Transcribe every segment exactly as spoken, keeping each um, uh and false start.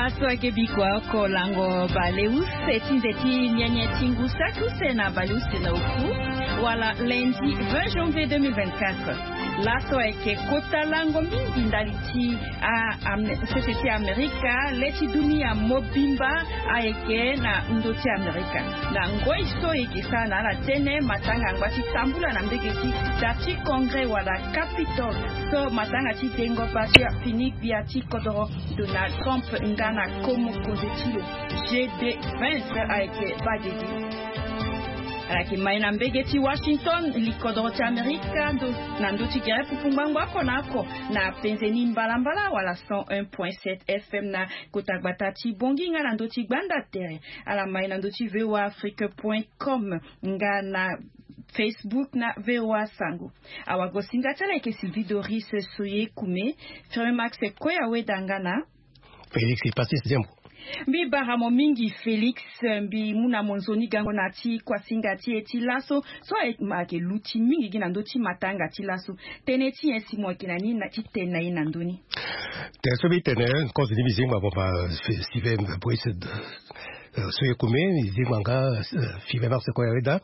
Laso ayeke bikua oko lango baleuse ti nze ti nyenye ti ngu saki use na baleuse na oku, wala lundi vingt janvier deux mille vingt-quatre. Laso ayeke kota lango mingi ndali ti a- Am- sese ti Amerika, le ti dunia mobimba ayeke na ndo ti Amerika. Na ngoi so e yeke sara na ala tënë matanga angba ti tambula na mbege ti da ti Congrès wala Capitole, so matanga ti dengo bâ so afini gbia ti kodoro Donald Trump nga na ko mokonzi ti lo, J D Vance ayeke baa gigi. Ala yeke mai na mbege ti Washington, likodoro ti Amerika, ndo- na ndö ti gere pupu ngbangbo oko na oko, na penze ni mbalambala wala cent un point sept F M na kota gbata ti Bangui nga na ndö ti gbanda tere. Ala mai na ndö ti V O A Afrique point com nga na Facebook na V O A Sango. Awagosinga ti ala yeke Sylvie Doris Soye Kume, Ferre Max Koya Weda nga na Félix Patrice Zembo. Mbi bara mo mingi Félix, mbi mu na mo nzoni gango na ti kuasinga ti e ti laso, so ayeke luti mingi gi na ndö ti matanga ti laso. Tënë ti nyen si mo yeke na ni na ti tene na e na ndö ni? Tene so mbi tene, kozo ni mbi zingba mo ma Steven Brice, eh, so e kume, mbi zingba nga, eh, Five Mars Koya Weda.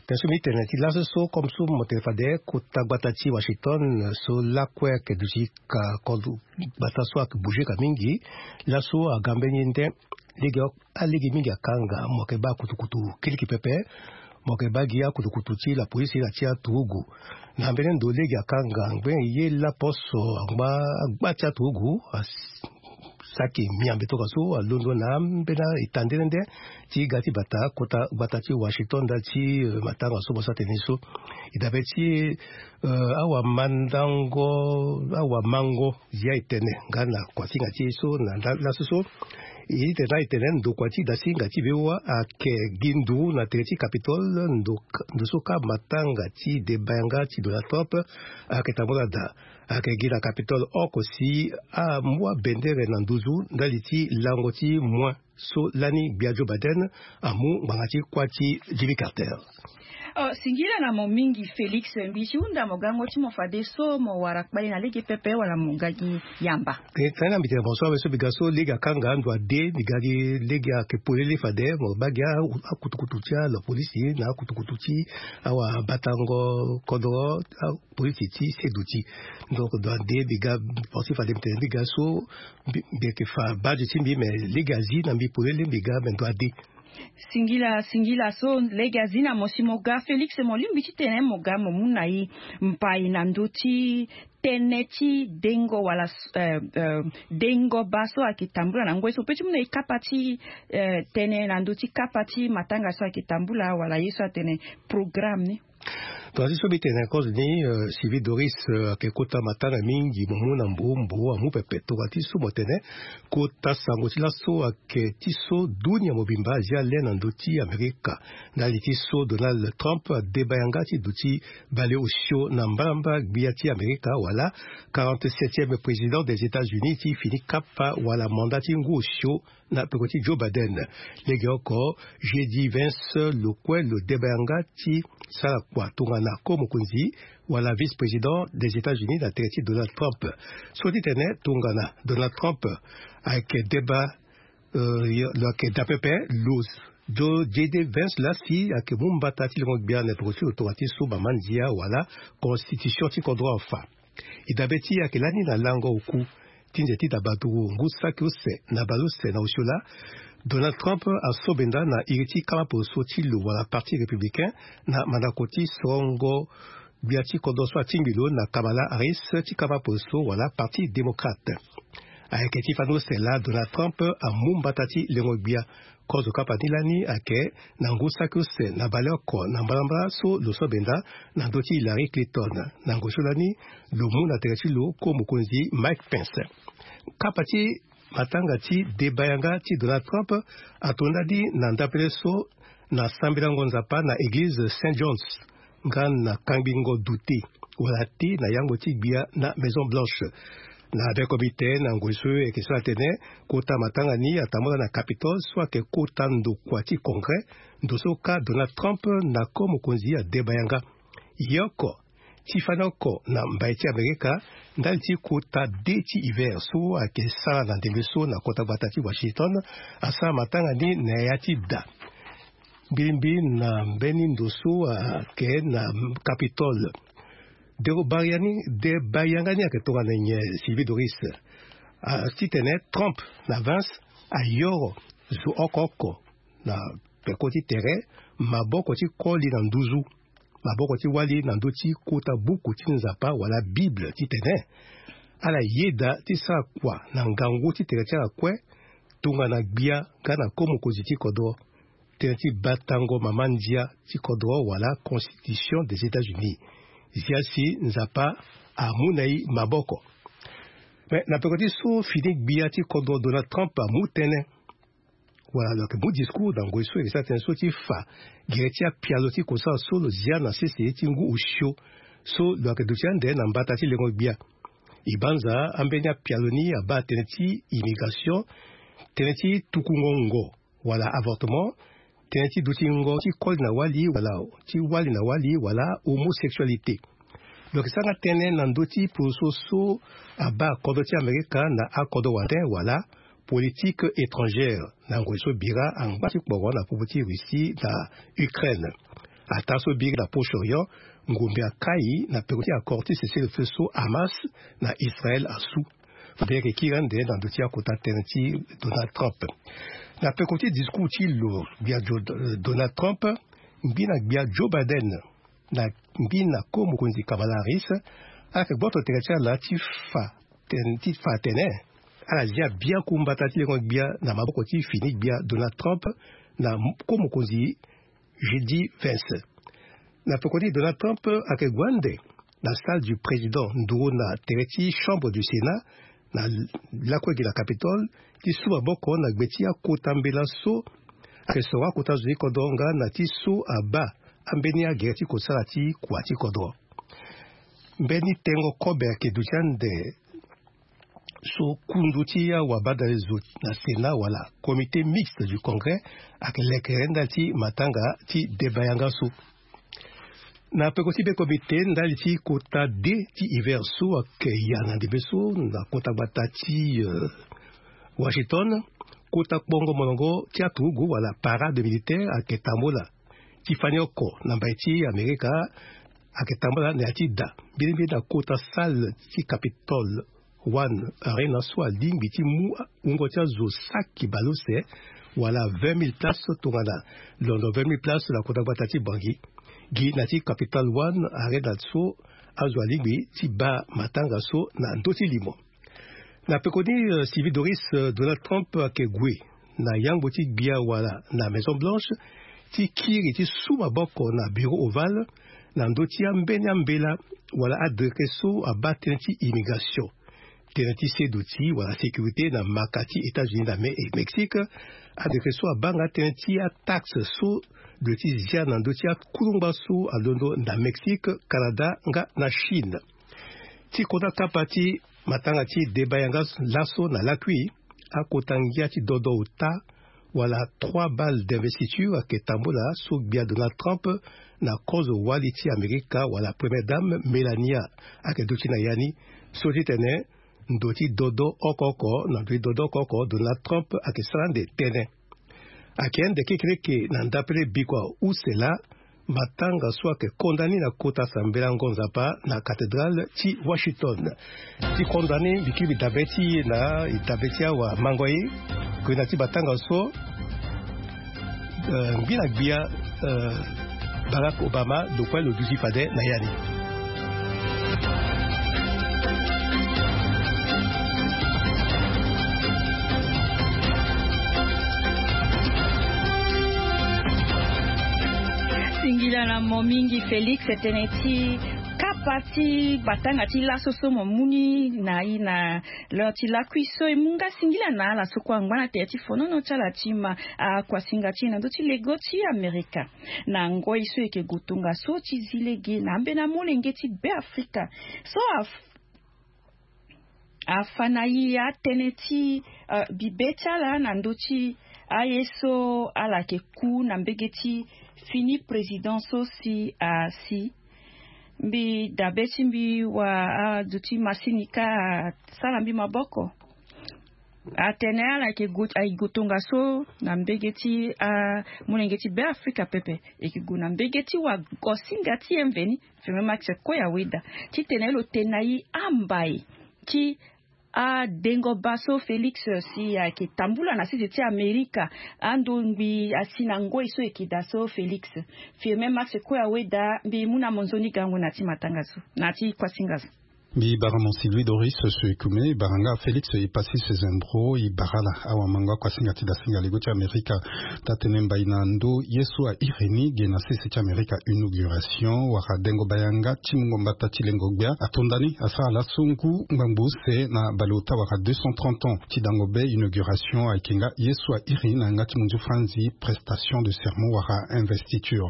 Tene so mbi tene ti laso so, comme so mo tene fade, kota gbata ti Washington, eh, so lakue ayeke duti ka kodro gbata so ayeke bouger ka mingi. Laso aga mbeni nde lege, alege mingi akanga, mo yeke baa akutukutu kiriki pepe. Mo yeke baa gi akutukutu ti lapolisi na ti aturugu. Na mbeni ndo lege akanga ngbene ye laposo angba agba ti aturugu, as- saki miambe tongaso alondo na ambeni eta nde nde ti ga ti bata kota gbata ti Washington ndali ti, eh, matanga so mo sara tene ni so. E dabe ti, eh, awamandango, awamango, zia e tene nga na kuasinga ti e so na la- laso so. E tene na e tene ndokua ti dasinga ti V O A ayeke gi nduru na tere ti Capitole, ndo- ndo so ka matanga ti deba yanga ti Donald Trump ayeke tambula daa. Ayeke gi na Capitole oko si amu abendere na nduzu ndali ti lango ti moin so lani gbia Joe Biden amu ngbanga ti kuâ ti Jimmy Carter. Oh, singila na mo mingi Félix, mbi si hunda mo gango ti mo fadeso mo wara kpale na lege pepe wala mo ga gi yamba. E tene na mbi tene bonso awe so mbi ga so lege akanga ndo ade, mbi ga gi lege ayeke polele fade mo baa gi akutukutu ti alapolisi na akutukutu ti awabatango kodoro, apolisi ti seduti. Donc ndo ade mbi ga, penser fade mbi tene mbi ga so mbi- mbi yeke fa bade ti mbi, mais lege azi na mbi polele mbi ga, mais ndo ade. Singila, singila so lege azi na mo si mo ga Félix, mo lingbi ti tene mo ga mo mu na e mbai na ndö ti tënë ti dengo wala, eh, eh, dengo bâ so ayeke tambula na ngoi so, pe ti mu na e kapa ti, eh, tënë na ndö ti kapa ti matanga so ayeke tambula wala ye so atene programme ni. Tongaso so mbi tene kozo ni, eh, Sylvie Doris, eh, ayeke kota matanga mingi mo mu na mbo mbo amu pepe. Tonga ti so mo tene kota sango ti laso ayeke ti so dunia mobimba azia le na ndö ti Amerika. Ndali ti so Donald Trump adeba yanga ti duti bale osio na mbalambala gbia ti Amerika wala quarante-septième président des États-Unis ti fini kapa wala mandat ti ngu osio na peko ti Joe Biden. Legeoko, J D Vance lo kue lo deba yanga ti sara kua tongana ko-mokonzi wala vice-président des États-Unis na tere ti Donald Trump. So ti tene tongana Donald Trump ayeke deba, eh, lo yeke daa pepe, lo, J D Vance laa si ayeke mu mbata ti lengo gbia na peko ti lo tongana ti so mama ndia wala constitution ti kodro afa. E dabe ti e ayeke lani na lango oku ti nze ti dabaduru ngu saki use na baleuse na osio laa, Donald Trump asobenda na iri ti kama poroso ti lo wala Parti républicain na mandako ti sorongo gbia ti kodro so atingbi lo na Kamala Harris ti kama poroso wala Parti démocrate. Ayeke ti fani use laa Donald Trump amu mbata ti lengo gbia. Kozo kapa ni lani ayeke na ngu saki use na baleoko na mbalambala so lo so benda na ndö ti Hillary Clinton. Na ngoi so lani lo mu na tere ti lo ko-mokonzi Mike Pence. Kapa ti matanga ti deba yanga ti Donald Trump ato ndali na ndapele so na sambelango Nzapa na eglize Saint John's nga na kangbingo dute wala te na yango ti gbia na Maison Blanche. Na beko mbi te na ngoi so e yeke so atene kota matanga ni atambula na Capitole so ayeke kota ndokua ti Congrès, ndo so ka Donald Trump na ko-mokonzi adeba yanga. Ye oko, ti fani oko na mbai ti Amerika ndali ti kota de ti hiver so ayeke sara na ndembe so na kota gbata ti Washington, asara matanga ni na ya ti da. Mbirimbi na mbeni ndo so ayeke na Capitole. Derobaria ni, debayanga ni ayeke tongana nyen, Sylvie Doris? Ah, titene Trump na Vance ayoro zo oko oko na peko ti tere maboko ti koli na nduzu, maboko ti wali na ndö ti kota buku ti Nzapa wala Bible, titene ala yeda ti sara kua na ngangu ti tere ti ala kue, tongana gbia nga na ko mokonzi ti kodro, tënë ti batango mama ndia ti kodro wala Constitution des États-Unis. Zia si Nzapa amu na e maboko. Me na peko ti so fini gbia ti kodro Donald Trump amu tënë, wala lo yeke mu discours na ngoi so e yeke sara tënë so ti fa gere ti apialo ti kosara so lo zia na sese ti ngu osio so lo yeke duti ande na mbata ti lengo gbia. E banza ambeni apialo ni abaa tënë ti immigration, tënë ti tukungo ngo wala avortement, tënë ti dutingo ti koli na wali wala ti wali na wali wala homosexualité. Lo yeke sara nga tënë na ndö ti poroso so abaa kodro ti Amerika na akodro wande wala politique étrangère na ngoi so bira angba ti kporo na popo ti Russie na Ukraine. Ataa so biri na Proche-Orient, ngombe akai na peko ti accord ti cessez-le-feu so Hamas na Israël asu. Fade ayeke kiri ande na ndö ti akota tënë ti Donald Trump. Na peko ti discours ti lo gbia Jo-, Donald Trump, ngbi na gbia Joe Biden na ngbi na ko mokonzi Kamala Harris, ala yeke gboto tere ti ala ti fa tënë, ti fa atene ala zia biaku mbata ti lengo gbia na maboko ti fini gbia Donald Trump na ko mokonzi J D Vance. Na peko ni Donald Trump ayeke gue ande na salle du président nduru na tere ti chambre du Sénat na lakue gi na Capitole ti su maboko na gbe ti akota mbela so ayeke soro akota zo ti kodro nga na ti so abaa ambeni agere ti kosara ti kua ti kodro. Mbeni tengo kobe ayeke duti ande so kundu ti awabadale zo na Sénat wala Comité mixte du Congrès ayeke leke ndali ti matanga ti deba yanga so. Na peko ti be comité ndali ti kota de ti hiver so ayeke ya na ndembe so na kota gbata ti, euh, Washington, kota kpongo molongo ti aturugu wala parade militaire ayeke tambola ti fani oko na mbai ti Amerika, ayeke tambola na ya ti da mbilimbili na kota salle ti Capitole One Arena so alingbi ti mu wungo ti azo saki baleuse wala vingt mille places tongana londo vingt mille places na kota gbata ti Bangui gi na ti Capitole One Arena so azo alingbi ti baa matanga so na ndö ti limo. Na pekoni, euh, Sylvie Doris, euh, Donald Trump ayeke gue na yangbo ti gbia wala na Maison Blanche ti kiri ti su maboko na Bureau Ovale na ndö ti ambeni ambela wala adeke so abaa tënë ti immigration, tënë ti seduti wala sécurité na maka ti États-Unis na Me-, Mexique. Adeke so abaa nga tënë ti ataxe so lo ti zia na ndö ti akulungba so alondo na Mexique, Canada nga na Chine. Ti kota kapa ti matanga ti deba yanga laso na lakui, akota ngia ti dodo ota wala trois balles d'investiture ayeke tambola so gbia Donald Trump na kozo wali ti Amerika wala Première Dame Melania ayeke duti na ya ni. So ti tene ndo ti dodo oko oko na ndo ti dodo oko oko Donald Trump ayeke sara ande tënë. Ayeke ande kekereke na ndapele bikua use laa matanga so ayeke konda ni na kota sambelango Nzapa na cathédrale ti Washington. Ti konda ni mbi kiri mbi dabe ti e na e dabe ti awamango ye. Gue na ti matanga so, euh, ngbi na gbia, euh, Barack Obama lo kue lo duti fade na ya ni. Singila na mo mingi Félix, tënë ti kapa ti batanga ti laso so mo mu ni na i na lo ti lakui so e mu nga singila na ala so kue angba na tere ti fonono ti ala ti ma akuasinga ti e na ndö ti lego ti Amerika. Na ngoi so e yeke gue tongaso ti zi lege na ambeni amolenge ti Beafrika so af- afa na e atënë ti, euh, bibe ti ala na ndö ti aye so ala yeke ku na mbege ti fini président so si asi. mbi dabe ti mbi wa azo ti masini ka asara mbi maboko. Atene ala yeke gu- ayeke gu tongaso na mbege ti amolenge ti Beafrika pepe. E yeke gu na mbege ti wagosinga ti e mveni, Firmin Max Koyaweda, titene lo tene na e ambai ti adengo baa so Félix si ayeke tambula na sese ti Amerika. Ando ngbii asi na ngoi so e yeke daa so Félix. Firmin Max Koyaweda, mbi mu na mo nzoni gango na ya ti matanga so, na ya ti kuasinga so. Mbi bara mo Sylvie Doris so e kume, e bara nga Félix Epassis Zembro, e bara ala awamango akuasinga ti dasinga lego ti Amerika. Taa-tënë mbai na ndö ye so a iri ni ge na sese ti Amerika, inauguration wala dengo baa yanga ti mungo mbata ti lengo-gbia atonda ni, asara laso ngu ngbangbo use na baleota wala deux cent trente ans. Ti dango be inauguration ayeke nga ye so a iri ni na yanga ti munzu franzi prestation de serment wala investiture.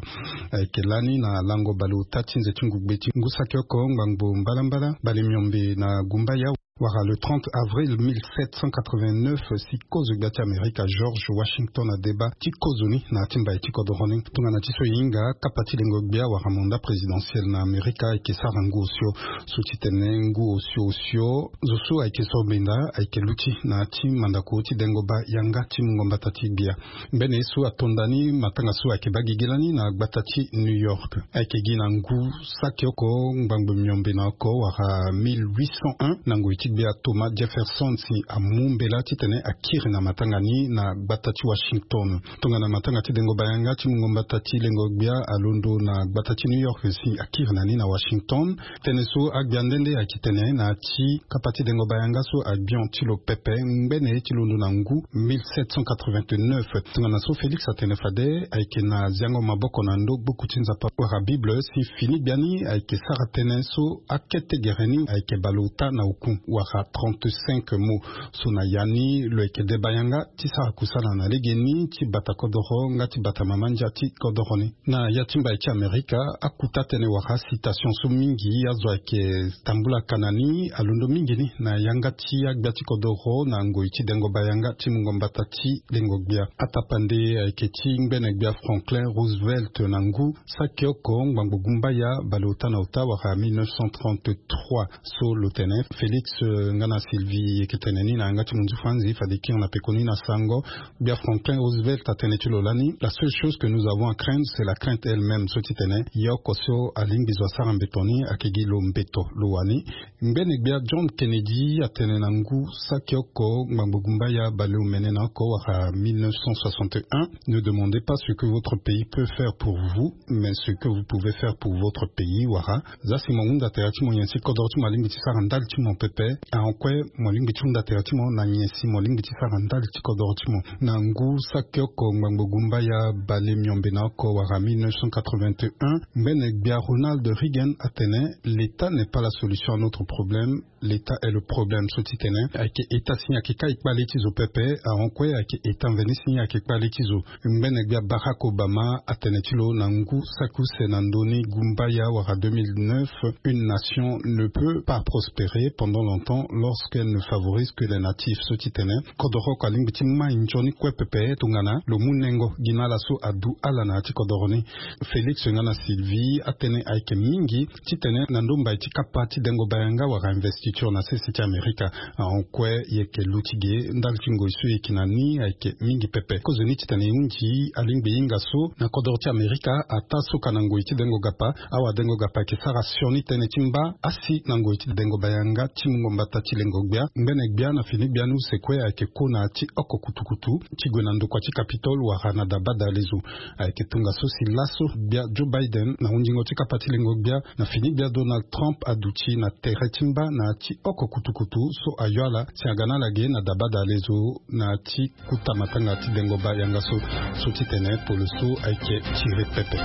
Ayeke lani na lango baleota ti nze ti ngugbe ti ngu saki oko ngbangbo mbalambala bale miombe na gumbaya wala le trente avril mille sept cent quatre-vingt-neuf, si kozo gbia ti Amerika George Washington adeba ti kozo ni na ya ti mbai ti kodoro ni. Tongana ti so e hinga, kapa ti lengo-gbia wala mandat présidentiel na Amerika ayeke sara ngu osio. So ti tene ngu osio osio, zo so ayeke so mbenda ayeke luti na ya ti mandako ti dengo baa yanga ti mungo mbata ti gbia. Mbeni ye so atonda ni matanga so ayeke baa gigi lani na gbata ti New York. Ayeke gi na ngu saki oko ngbangbo miombe na oko wala mille huit cent un, na ngoi ti gbia Thomas Jefferson si amu mbela titene akiri na matanga ni na gbata ti Washington. Tongana matanga ti dengo baa yanga ti mungo mbata ti lengo-gbia alondo na gbata ti New York si akiri na ni na Washington. Tënë so agbia nde nde ayeke tene na ya ti kapa ti dengo baa yanga so abion ti lo pepe ngbene ye ti londo na ngu mille sept cent quatre-vingt-neuf. Tongana so Félix atene fade, ayeke na ziango maboko na ndo buku ti Nzapa wala Bible si fini gbia ni ayeke sara tënë so akete gere ni ayeke baleota na oku wala trente-cinq mots. So na ya ni lo yeke deba yanga ti sara kusala na legeni ti bata kodoro nga ti bata mama ndia ti kodoro ni. Na ya ti mbai ti Amerika, akuta tënë wala citation so mingi azo ayeke tambula ka na ni alondo mingi ni na yanga ti agbia ti kodoro na ngoi ti dengo baa yanga ti mungo mbata ti lengo-gbia. Atapande ayeke ti ngbene gbia Franklin Roosevelt na ngu saki oko ngbangbo gumbaya baleota na ota wala mille neuf cent trente-trois. So lo tene Félix, euh, nga na Sylvie e yeke tene ni na yanga ti munzu franzi, fade e kiri na pekoni na sango. Gbia Franklin Roosevelt atene ti lo lani: la seule chose que nous avons à craindre, c'est la crainte elle-même. So ti tene ye oko so alingbi zo asara mbeto ni ayeke gi lo mbeto lo wani. Ngbene gbia John Kennedy atene na ngu saki oko ngbangbo gumbaya baleomene na oko wala mille neuf cent soixante et un: ne demandez pas ce que votre pays peut faire pour vous, mais ce que vous pouvez faire pour votre pays. Wala za si mo hunda tere ti mo nyen si kodoro ti mo alingbi ti sara ndali ti mo pepe, ahon kue mo lingbi ti hunda tere ti mo na nyen si mo lingbi ti sara ndali ti kodoro ti mo. Na ngu saki oko ngbangbo gumbaya bale miombe na oko wala mille neuf cent quatre-vingt-un, ngbene gbia Ronald Reagan atene: l'État n'est pas la solution à notre problème, l'État est le problème. So ti tene ayeke État si ayeke kai kpale ti zo pepe, ahon kue ayeke État mveni si ayeke kpale ti zo. Ngbene gbia Barack Obama atene ti lo na ngu saki use na ndö ni gumbaya wala deux mille neuf: une nation ne peut pas prospérer pendant longtemps lorsqu'elle ne favorise que les natifs. So ti tene kodoro oko alingbi ti mai nzoni kue pepe tongana lo mu nengo gi na ala so adu ala na ya ti kodoro ni. Félix nga na Sylvie, atënë ayeke mingi titene na ndö mbai ti kapa ti dengo baa yanga wala investiture na sese ti Amerika, ahon kue e yeke luti ge ndali ti ngoi so e yeke na ni ayeke mingi pepe. Kozoni titene e hunzi alingbi e hinga so na kodoro ti Amerika ataa so ka na ngoi ti dengo gapa, awadengo gapa ayeke sara sioni tënë ti mba asi na ngoi ti dengo baa yanga ti mungo mbata ti lengo gbia. Ngbene gbia na fini gbia ni use kue ayeke ko na ya ti oko kutukutu ti gue na ndokua ti Capitole wala na daba dalezo. Ayeke tongaso si laso gbia Joe Biden na hundingo ti kapa ti lengo gbia na fini gbia Donald Trump aduti na tere ti mba na ya ti oko kutukutu so ayo ala si aga na ala ge na daba dalezo na ya ti kuta matanga ti dengo baa yanga so. So ti tene polo so ayeke tiri pepe.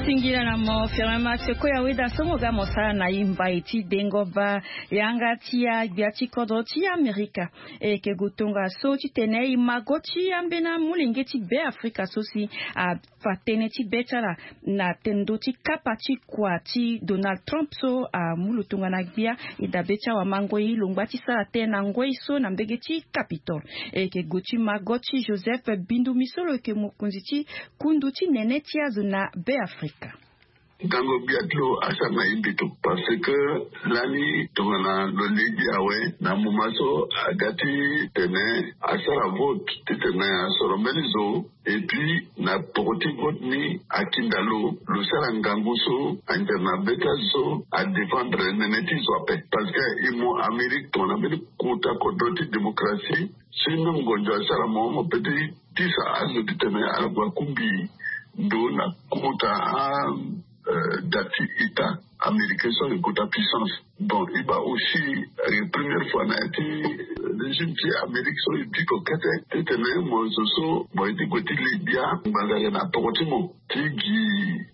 Singila na mo Firmin Max Koyaweda so mo ga mo sara na e mbai ti dengo baa yanga ti agbia ti kodro ti Amerika. E yeke gue tongaso titene e mago ti ambeni amolenge ti Beafrika so si a Fa tënë ti be ti ala na tendo ti kapa ti kua ti Donald Trump so amu lo tongana gbia. E dabe ti awamangoi lo ngba ti sara tënë na ngoi so na mbege ti Capitole. E yeke gue ti mago ti Joseph Bindumi so lo yeke mokonzi ti kundu ti nene ti azo na Be Afrika. Ngango gbia ti lo asara na e mbito parce que lani tongana lo lege awe na moma so aga ti tene asara vote ti tene asoro mbeni zo. Et puis na poko ti vote ni akinda lo lo sara ngangu so ande na be ti azo so adéfendre nene ti zo ape. Parce que e mo Amérique tongana mbeni kota kodro ti démocratie si même ngonzo asara mo mo pe ti tisa azo ti tene ala gue akungbi ndo na kota a da ti état américain so ayeke kota puissance. Bon e baa aussi ayeke première fois na ya ti régime ti Amérique so e biko kete ti tene mo zo so mo ye ti gue ti le gbia ngbanga ayeke na poko ti mo ti gi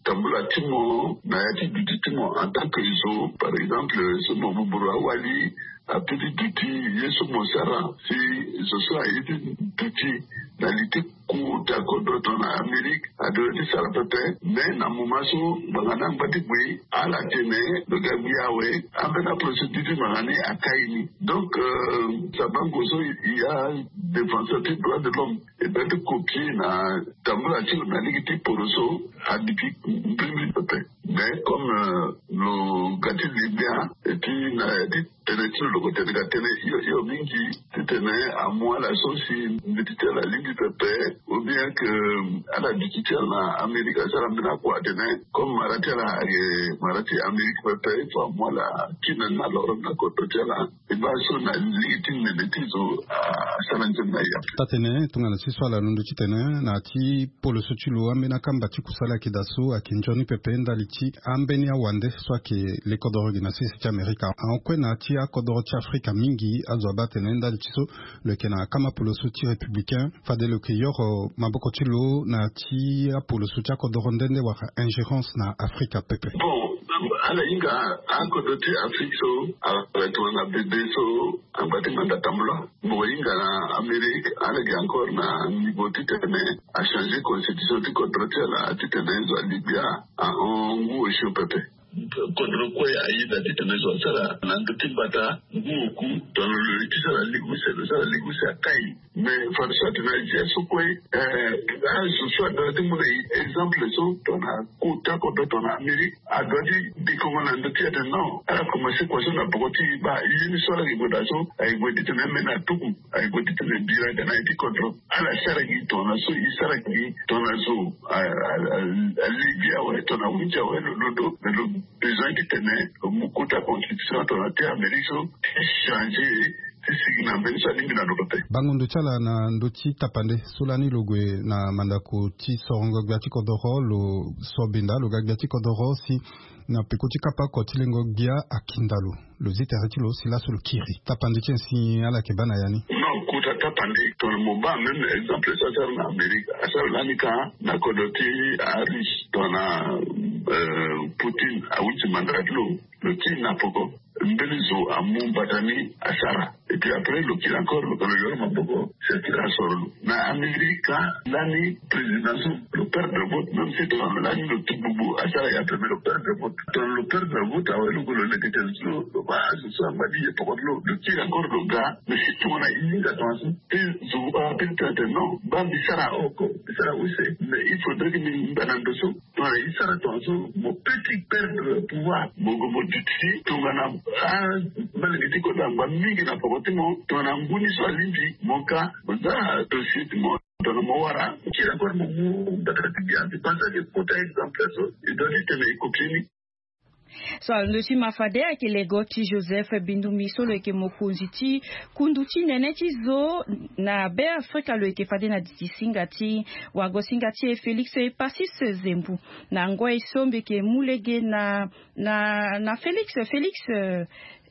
tambula ti mo na ya ti duti ti mo en tant que zo. Par exemple so mo buburu awali ape ti duti ye so mo sara si zo so aye ti duti na li ti kota kodro tongana Amérique adoit ti sara pepe. Mais na moma so ngbanga ni angba ti gue ala tene lo ga gbi awe ambeni aprocédure ti ngbanga ni akai ni. Donc sabango so e ya défenseur ti droit de l'homme e doit ti copier na tambula ti lo na lege ti poro so adiki mbirimbiri pepe. Mais comme lo ga ti le gbia et puis na ya ti tene ti lo lo ko tene ga tene hio hio mingi ti tene amu ala so si mbeti ti ala alingbi pepe ou bien que ala duti ti ala na Amérique asara mbeni akua atene comme mara ti ala ayeke mara ti Amérique pepe il faut amu ala kina ni na loro ni na kodro ti ala. E baa so na lege ti nene ti zo asara nzoni na e ape. Taa-tene tongana ti so ala londo titene na ya ti poloso ti lo ambeni akamba ti kusala ayeke daa so ayeke nzoni pepe ndali ti ambeni awande so ayeke le kodoro gi na sese ti Amerika ahon kue na ya ti akodoro ti Afrika mingi azo abaa atene ndali ti so lo yeke na akama poloso ti républicain fade lo yeke yoro maboko ti lo na ya ti apoloso ti akodoro nde nde wala ingérence na Afrika pepe. Bon ala hinga akodro ti Afrique so ala tongana bebe so angba ti manda tambula. Mo hinga na Amérique ala gi encore na niveau ti tene achangé constitution ti kodro ti ala ti tene zo aligbia ahon ngu osio pepe. Kodro kue ayeda ti tene zo asara na ndö ti mbata ngu oku. Tongana lo ye ti sara ligue use lo sara ligue use akai. Mais fade so atene azia so kue azo so adoit ti mu na e exemple so tongana kota kodro tongana Amérique adoit ti dekongo na ndö ti atene non ala commencé kua so na poko ti e baa ye ni so ala gi gue daa so aye gue ti tene ambeni atuku aye gue ti tene bira ga na ye ti kodro. Ala sara gi tongana so e sara gi tongana zo alege awe tongana awinzi awe lo londo. Mais lo besoin ti tene lo mu kota constitution tongana te Amérique so ti changé ti sigi na mbeni so alingbi na lo pepe. Bango ndo ti ala na ndö ti tapande so lani lo gue na mandako ti sorongo gbia ti kodoro lo so benda lo ga gbia ti kodoro si na peko ti kapa oko ti lengo gbia akinda lo. Lo zi tere ti lo si laso lo kiri tapande ti nyen si ala yeke baa na ya ni. Non kota tapande tongana mo baa même exemple so asara na Amérique asara lani ka na kodro ti arusse tongana Poutine awiti manda ti lo. Lo kiri na poko mbeni zo amu mbata ni asara. Et puis après lo kiri encore lo kalo yoro maboko si akiri asoro lo. Na Amérique ka lani président so lo perdre vote même si tongana lani lo ti bubu asara ya pe mais lo perdre vote. Tongana lo perdre vote awe lo gue lo leke tene so lo baa azo so angba ti ye poko ti lo lo kiri encore lo ga. Mais si tongana e hinga tongana so ti zo ape ti tene tene non baa mbi sara oko mbi sara use mais il faudrait que mbi ngba na ndo so. Tongana e sara tongana so mo pe ti perdre pouvoir mo gue mo duti tongana amalenge ti kodro angba mingi na poko ti mo tongana ngu ni so alingbi mo ka mo za dossier ti mo tongana mo wara mo kiri encore mo mu mbata ti gbia mbi pense ake kota exemple so e doit ti tene e kopie ni. So alondo ti ma fade ayeke lego ti Joseph Bindumbi so lo yeke mokonzi ti kundu ti nene ti zo na Be Afrika lo yeke fade na diti singa ti wago singa ti e Félix Epasis Zembu. Na ngoi so mbi yeke mu lege na na na Félix Félix.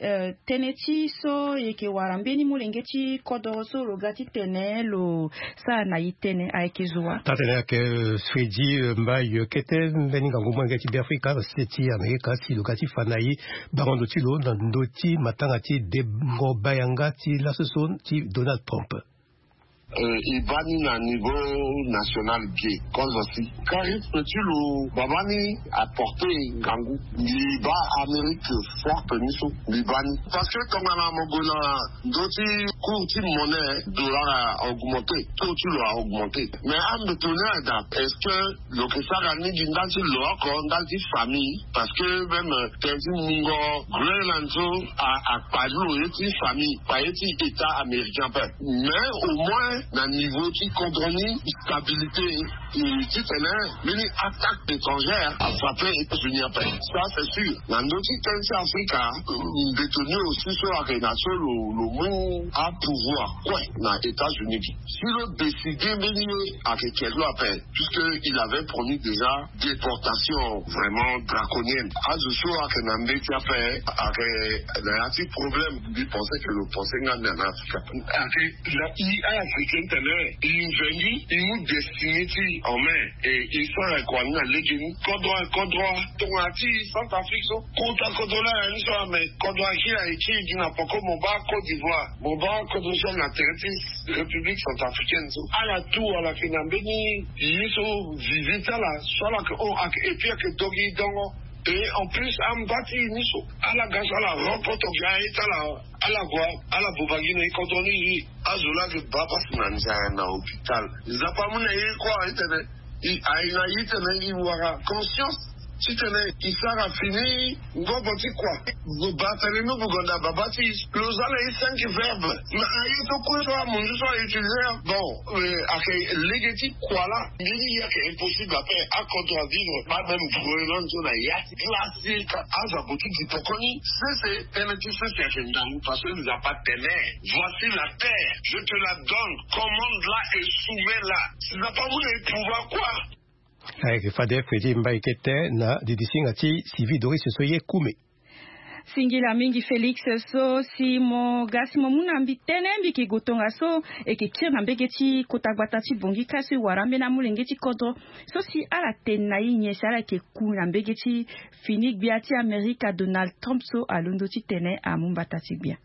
Tënë ti so e yeke wara mbeni molenge ti kodoro so lo ga ti tene lo sara na e tënë ayeke zo wa. Taa-tene ayeke Fredi Mbaye kete mbeni ngangu molenge ti Be Afrika na sese ti Amerika si lo ga ti fa na e bango ndo ti lo na ndö ti matanga ti dengo bayanga ti laso so ti Donald Trump. E baa ni na niveau national ge kozo si. Charisme ti lo baba ni aporte ngangu. Mbi baa Amérique forte ni so. Mbi baa ni parce que tongana mo gue na ndö ti cours ti monnaie, dollar a augmenter, taux ti lo a augmenter. Mais ambeto ni ada, est-ce que lo ke sara ni gi ndali ti lo oko, ndali ti famille? Parce que même tënë ti mungo Groenland so akpali lo ye ti famille, kpa ye ti état américain ape. Mais au moins na niveau ti kodro ni stabilité, titene mbeni attaque étrangère afrappe États-Unis ape. Ça c'est sûr. Na ndö ti tënë ti Afrika, mbeto ni aussi so ayeke na so lo mu apouvoir kue na États-Unis. Si lo décide mbeni ye ayeke ke lo ape, puisque il avait promis déjà déportation vraiment draconienne. Azo so ayeke na mbeti ape ayeke na ya ti problème. Mbi pense que lo pense nga ni na Afrika. Ayeke na i africain tene i nzengui i mu destiné ti en main. E i so ayeke wani na lege ni kodro kodro tongana ti Centrafrique so. Kota kodro laa na ni so ame kodro aki ayeke gi na poko mo baa Côte d'Ivoire, mo baa kodro so na tere ti République centrafricaine so. Ala tout ala yeke na mbeni ye so visite ala so ala yeke hon ayeke et puis ayeke dogi dongo. Et en plus amba ti ni so ala ga so ala rencontre ga ye ti ala. Ala gue ala boba gi na e kodro ni. Azo laa ayeke baa pasi na nzaya na hôpital. Nzapa amu na ye kua itene i aye na ye tene i wara conscience titene i sara fini ngobo ti kua. Batele no bugonda baba ti lo za na ye cinq verbe. Na aye so kue so amunzu so a utiliser bon. Ayeke lege ti kua laa. Mbeni ye ayeke impossible ape. Akodro avivre pas même Groenland so na ya ti classique. Azo ague ti di poko ni sese. Tënë ti sese ayeke ndangu parce que Nzapa atene voici la terre, je te la donne, commande la et soumets la. Nzapa amu na e pouvoir kua. Ayeke fade feti mbai kete na didisinga ti civil doris so ye kume. Singila mingi Félix. So si mo ga si mo mu na mbi tënë mbi yeke gue tongaso e yeke kiri na mbege ti kota gbata ti Bangui kâ so e wara ambeni amolenge ti kodro so si ala tene na e nyen si ala yeke ku na mbege ti fini gbia ti Amerika Donald Trump so alondo titene amu mbata ti gbia.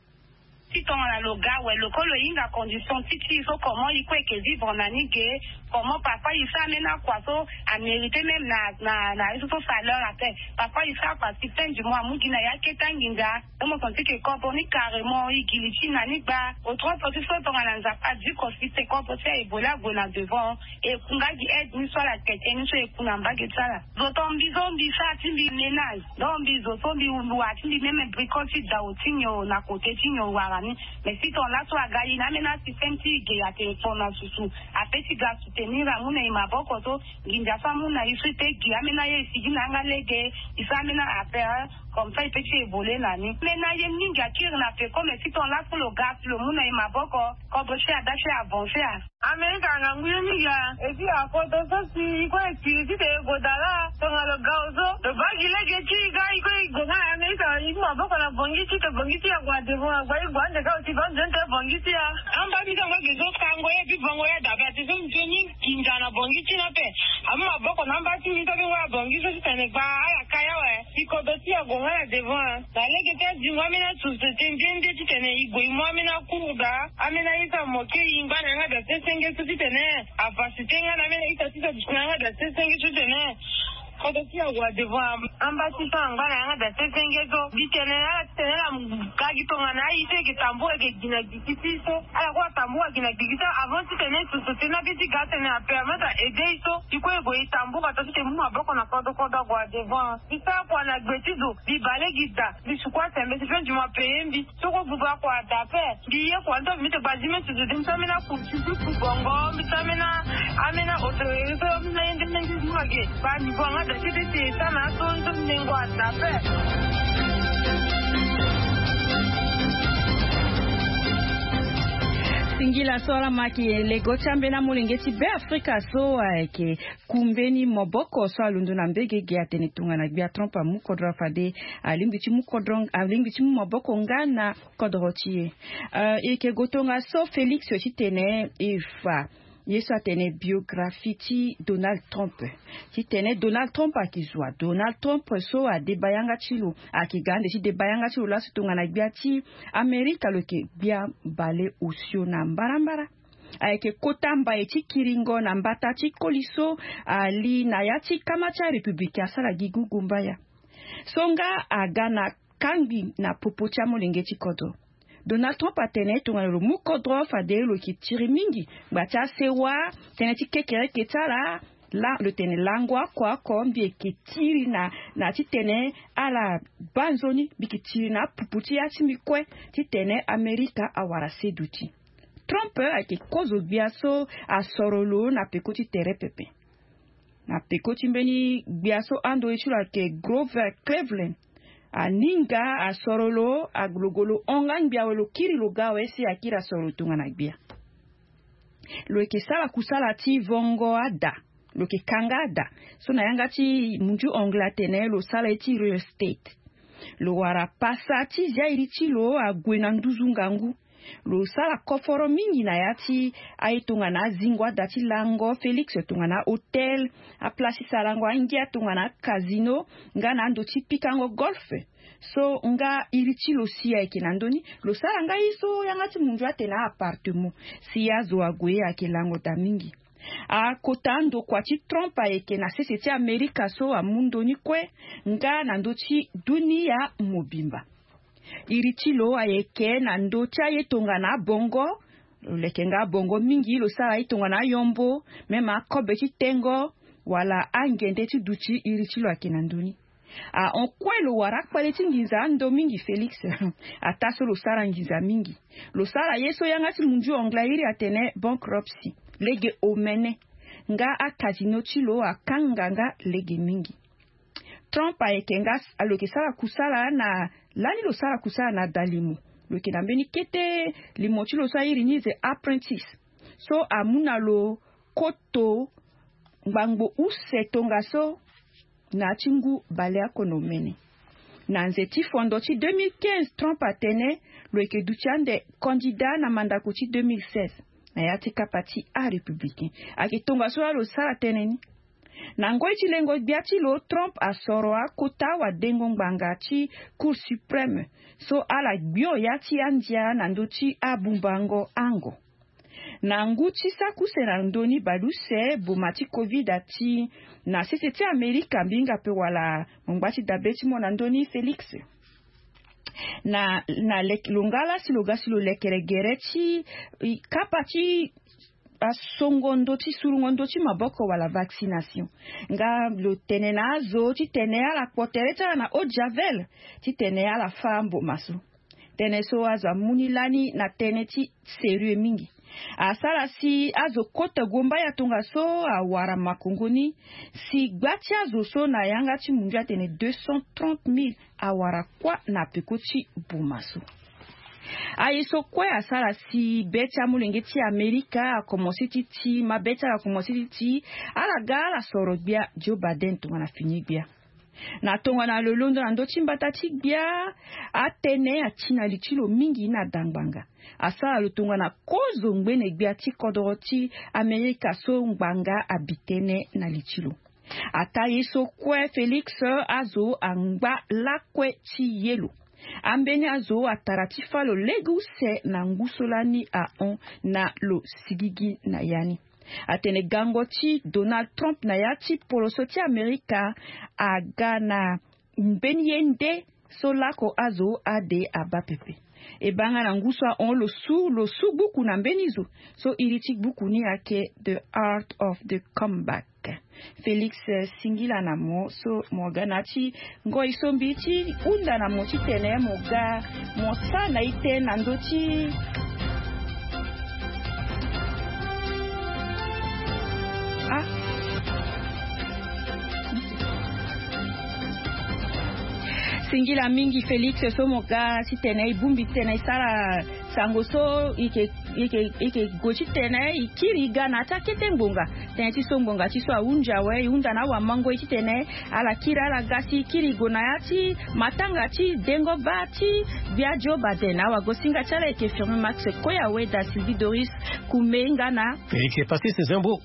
Ti tongana lo ga awe lo ko lo hinga condition ti ti so comment i ko eke vivre na ni ge. Comment parfois i sa amena kua so a mérité même na na na ye so so saleur ape. Parfois i sa kua si fin du mois amu gi na ya keta nginza. Mo senti ke corps ni carrément i gi li ti na ni gba. Autrement ti so tongana nzapa di ko si te corps ti a ebola ague na devant. E ku nga gi aide ni so ala tete ni so e ku na mbage ti ala. Zo to mbi so mbi sa ti mbi ménage. Donc mbi zo so mbi wara ti mbi même bricole ti dao ti nyo na côté ti nyo wara ni. Mais si ton laso aga i na amena système ti ge ate ton na susu. Ape ti ga soutenir amu na i maboko so. Nginza so amu na i so i pe gi amena ye i sigi na yanga lege. I sa amena affaire comme ça i pe ti évoluer na ni. Mais na ye mingi akiri na peko mais si ton laso lo ga si lo mu na i maboko. Kobo ti ada ti avancer a. Amerika ngangu ye mingi a. Et puis apoto so si i kue ti ti te go dala. Tonga lo ga ozo lo baa gi lege ti i ga i kue i go nga na Amerika i mu maboko na bongi ti te bongi ti ya gua devant agba i gua ande ga oti ba nzoni te bongi ti ya. Amba ti tango eke zo tango ye pi bongo ya dabe ati so nzoni. Nginza na bongi ti na ape. Amu maboko na amba ti mbi so abengo ya bongi so ti tene gba ala ka ya awe. Si kodo ti ya go nga na devant. Na lege ti azingo amena société nde nde titene i gue i mu amena cours daa. Amena ita mo kiri i ngba na yanga da sesenge so titene. Avasite nga na amena ita ti so duti na yanga da sesenge so titene. Kodo ti ya wa devant amba ti so angba na yanga da sesenge so. Titene ala titene ala ga gi tongana aye so eke tambula eke gi na gi ti ti so. Ala kue atambula gi na gi ti so avant titene société na be ti ga tene apermettre a aider i so. I kue i gue i tambula to titene mu maboko na kodo kodo ague devant. Mbi sara kua na gbe ti zo mbi bale gi daa. Mbi suku asembe si fenzi mo ape ye mbi. Soko buba kua daa ape. Mbi ye kua ni to mbi mete gbazi meti zo de mbi sara mena kursi ti ku bongo mbi sara mena. Amena oto ye so mena ye nde mena nde mbi wage. Ba niveau anga daa ti de ti e sara na aso ni so mbi nengo adaa ape. Singila so ala ma yeke lego ti ambeni amolenge ti be afrika so ayeke ku mbeni maboko so alondo na mbege ge atene tongana gbia trump amu kodro fade alingbi ti mu kodro alingbi ti mu maboko nga na kodro ti e. E yeke go tongaso félix titene e fa ye so atene biographie ti donald trump. Titene donald trump ayeke zo wa donald trump so adeba yanga ti lo ayeke ga ande ti deba yanga ti lo laso tongana gbia ti amerika lo yeke gbia baleosio na mbarambara. Ayeke kota mbai ti kiringo na mbata ti koli so ali na ya ti kama ti arépublique asara gi gugumbaya. So nga aga na kangbi na popo ti amolenge ti kodro. Donald Trump atene tongana lo mu kodro fade lo yeke tiri mingi ngba ti asewa. Tënë ti kekereke ti ala la lo tene lango oko oko mbi yeke tiri na na titene ala baa nzoni mbi yeke tiri na apupu ti ya ti mbi kue titene amerika awara se duti. Trump ayeke kozo gbia so asoro lo na peko ti tere pepe. Na peko ti mbeni gbia so ando ye ti lo ayeke Grover Cleveland aninga asoro lo agologo lo hon nga ngbia awe lo kiri lo ga awe si akiri asoro lo tongana gbia. Lo yeke sara kusala ti vongo ada. Lo yeke kanga ada so na yanga ti mundu anglais atene lo sara ye ti real estate. Lo wara pasa ti zia iri ti lo ague na nduzu ngangu. Lo sara koforo mingi na ya ti aye tongana azingo ada ti lango félix tongana ahôtel, aplace ti sarango angia tongana akazino nga na ando ti pikango golfe. So nga iri ti lo si ayeke na ndö ni lo sara nga ye so yanga ti mundu atene a-appartement. Si azo ague ayeke lango daa mingi. Akota ndokua ti trump ayeke na sese ti amerika so amu ndö ni kue nga na ndö ti dunia mobimba. Iri ti lo ayeke na ndö ti aye tongana abongo. Lo leke nga abongo mingi lo sara aye tongana ayombo même akobe ti tengo wala angende ti duti iri ti lo ayeke na ndö ni. Ahon kue lo wara akpale ti nginza ando mingi félix. Ataa so lo sara nginza mingi lo sara ye so yanga ti mundu anglais iri atene bankruptcy lege omene. Nga akazino ti lo akanga nga lege mingi. Trump ayeke nga lo yeke sara kusala na lani lo sara kusala na dalimo. Lo yeke na mbeni kete limo ti lo so airi ni the apprentice so amu na lo koto ngbangbo use tongaso. Na ya ti ngu baleoko na omene na nze ti fondo ti deux mille quinze trump atene lo yeke duti ande kandida na mandako ti deux mille seize. Na ya ti kapa ti arépublicain ayeke tongaso laa lo sara tënë ni. Na ngoi ti lengo gbia ti lo trump asoro akota wadengo ngbanga ti cour suprême so ala gbio ya ti andia na ndö ti abumbango ango. Na ngu ti saki use na ndö ni baleuse boma ti covid ati na sese ti amerika mbi hinga pe wala mo ngba ti dabe ti mo na ndö ni félix. Na na longala si lo ga si lo lekere gere ti kapa ti asongo ndö ti surungo ndö ti maboko wala vaccination. Nga lo tene na azo titene ala kpo tere ti ala na eau de javel titene ala fâ mboma so. Tënë so azo amu ni lani na tënë ti sérieux mingi. Asara si azo kota guombaya tongaso awara makongo ni si gba ti azo so na yanga ti mundu atene deux cent trente mille awara kuâ na peko ti boma so. Aye so kue asara si be ti amolenge ti amerika akomanse ti ti mabe ti ala akomanse ti ti ala ga ala soro gbia joe biden tongana fini gbia. Na tongana lo londo na ndö ti mbata ti gbia atënë ati na li ti lo mingi na dangbanga. Asara lo tongana kozo ngbene gbia ti kodoro ti amerika so ngbanga abi tënë na li ti lo. Ataa ye so kue félix azo angba lakue ti ye lo. Ambeni azo atara ti fâ lo lege use na ngu so lani ahon na lo sigigi na ya ni. Atene gango ti donald trump na ya ti poloso ti amerika aga na mbeni ye nde so lako azo ade abaa pepe. E baa nga na ngu so ahon lo su lo su gbuku na mbeni zo so iri ti gbuku ni ayeke the art of the comeback. Félix singila na mo so mo ga na ya ti ngoi so mbi ti hunda na mo titene mo ga mo sara na ite na ndö ti ah. Singila mingi félix so mo ga titene e bongbi titene e sara sango so e ke e ke e ke gue titene e kiri e ga na ya ti akete ngbonga. Tënë ti so ngbonga ti so ahunzi awe e hunda na awamango e titene ala kiri ala ga si e kiri e gue na ya ti matanga ti dengo baa ti gbia joe baden awagosinga ti ala e ke firme max koya weda sylvie doris kume nga na e ke pasiste zembo.